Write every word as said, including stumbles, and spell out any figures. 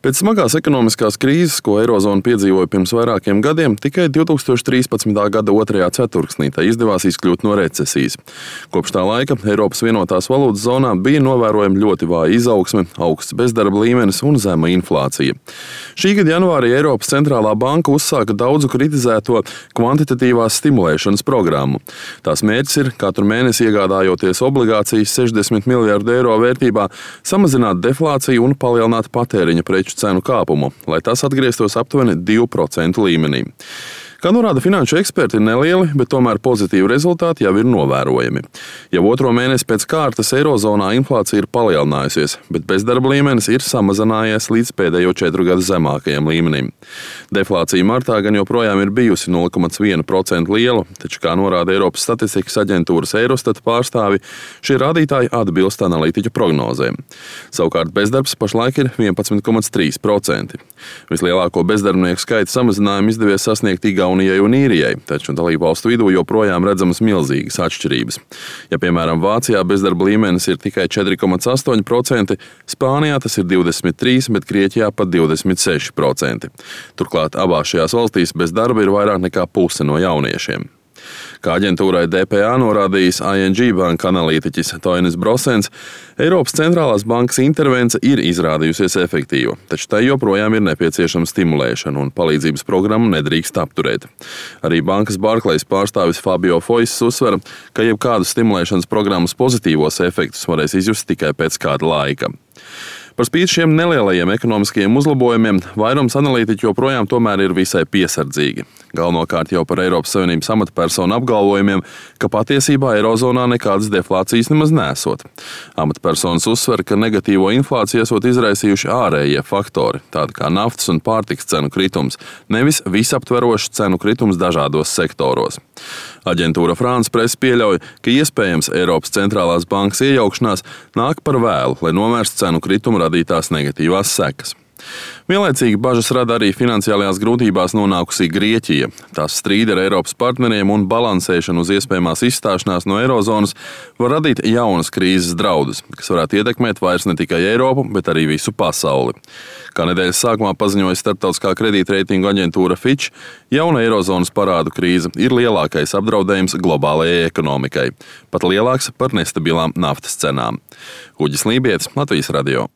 Pēc smagās ekonomiskās krīzes, ko Eirozona piedzīvoja pirms vairākiem gadiem, tikai divtūkstoš trīspadsmitā gada otrajā ceturksnī tai izdevās izkļūt no recesijas. Kopš tā laika Eiropas vienotās valūtas zonā bija novērojama ļoti vāja izaugsme, augsts bezdarba līmenis un zema inflācija. Šī gada janvārī Eiropas centrālā banka uzsāka daudzu kritizēto kvantitatīvās stimulēšanas programmu. Tās mērķis ir katru mēnesi iegādājoties obligācijas sešdesmit miljardu eiro vērtībā, samazināt deflāciju un palielināt patēriņa preču cenu kāpumu, lai tas atgrieztos aptuveni divu procentu līmenī. Kā norāda finanšu eksperti, ir nelieli, bet tomēr pozitīvi rezultāti jau ir novērojami. Jau otro mēnesi pēc kārtas Eirozonā inflācija ir palielinājusies, bet bezdarba līmenis ir samazinājies līdz pēdējo četru gadu zemākajam līmenim. Deflācija martā gan joprojām ir bijusi nulle komats viena procenta liela, taču, kā norāda Eiropas statistikas aģentūras Eurostat pārstāvi, šie rādītāji atbilst analītiķu prognozēm. Savukārt bezdarbs pašlaik ir vienpadsmit komats trīs procenti. Vislielāko bezdarbnieku skaita samazinājumu izdevies sasniegt Igaunijai un Īrijai, taču dalībvalstu vidū joprojām redzamas milzīgas atšķirības. Ja, piemēram, Vācijā bezdarba līmenis ir tikai četri komats astoņi procenti, Spānijā tas ir divdesmit trīs, bet Grieķijā pat divdesmit seši procenti. Turklāt abās šajās valstīs bez darba ir vairāk nekā puse no jauniešiem. Kā aģentūrai D P A norādījis I N G banka analītiķis Toinis Brosens, Eiropas centrālās bankas intervence ir izrādījusies efektīva, taču tai joprojām ir nepieciešama stimulēšana un palīdzības programmu nedrīkst apturēt. Arī bankas Barclays pārstāvis Fabio Foiss uzsver, ka jebkādas stimulēšanas programmas pozitīvos efektus varēs izjust tikai pēc kāda laika. Par spīti šiem nelielajiem ekonomiskajiem uzlabojumiem, vairums analītiķu joprojām tomēr ir visai piesardzīgi. Galvenokārt jau par Eiropas Savienības amatpersonu apgalvojumiem, ka patiesībā Eirozonā nekādas deflācijas nemaz nesot. Amatpersonas uzsver, ka negatīvo inflāciju esot izraisījuši ārējie faktori, tādi kā naftas un pārtikas cenu kritums, nevis visaptverošs cenu kritums dažādos sektoros. Aģentūra France Press pieļauj, ka iespējams Eiropas centrālās bankas iejaukšanās nāk par vēlu, lai novērstu cenu kritumu radītās negatīvās sekas. Vienlaicīgi bažas rada arī finansiālajās grūtībās nonākusī Grieķija. Tās strīdi ar Eiropas partneriem un balansēšana uz iespējamās izstāšanās no Eirozonas var radīt jaunas krīzes draudus, kas varētu ietekmēt vairs ne tikai Eiropu, bet arī visu pasauli. Kā nedēļas sākumā paziņoja starptautiskā kredītreitingu aģentūra Fitch, jauna Eirozonas parādu krīze ir lielākais apdraudējums globālajai ekonomikai, pat lielāks par nestabilām naftas cenām. Uģis Lībietis, Latvijas radio.